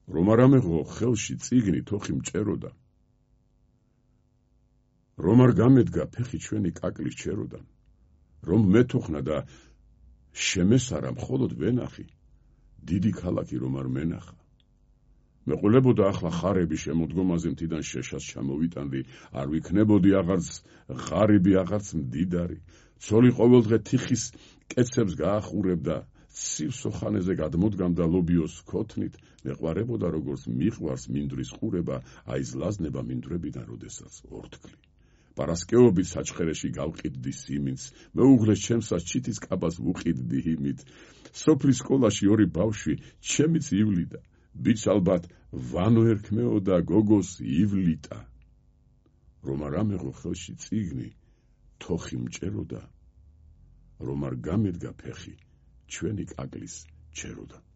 რომ არ ამეღო ხელში წიგნი თოხი მჭეროდა, რომ არ გამედგა ფეხი ჩვენი კაკლის ჩეროდან, რომ მეთუხნა და შემესარა მხოლოდ ვენახი, დიდი ქალაქი რომ არ მენახა. მეყოლებოდა ახლა ხარები შემოდგომაზე მთიდან შეშას ჩამოვიტანდი, არ ვიქნებოდი აღარც ღარიბი, აღარც მდიდარი, ცოლი ყოველდღე თიხის კეცებს გაახურებდა, სივსოხანეზე გადმოდგამდა ლობიოს ქოთნით, მეყვარებოდა როგორც მიყვარს მინდვრის ყურება, აიზლაზნება მინდვრებიდან როდესაც ორთქლი. პარასკევობით საჩხერეში გავყიდდი სიმინს, მეუღლეს ჩემსას ჩითის კაბას ვუყიდდი იმით, სოფლის სკოლაში ორი ბავშვი ჩემიც ივლიდა, ბიჭ ალბათ ვანო ერქმეოდა გოგოს ივლიტა. რომ არ ამეღო ხელში წიგნი, თოხი მჭეროდა, რომ არ გამედგა ფეხი ჩვენი კაკლის ჩეროდან.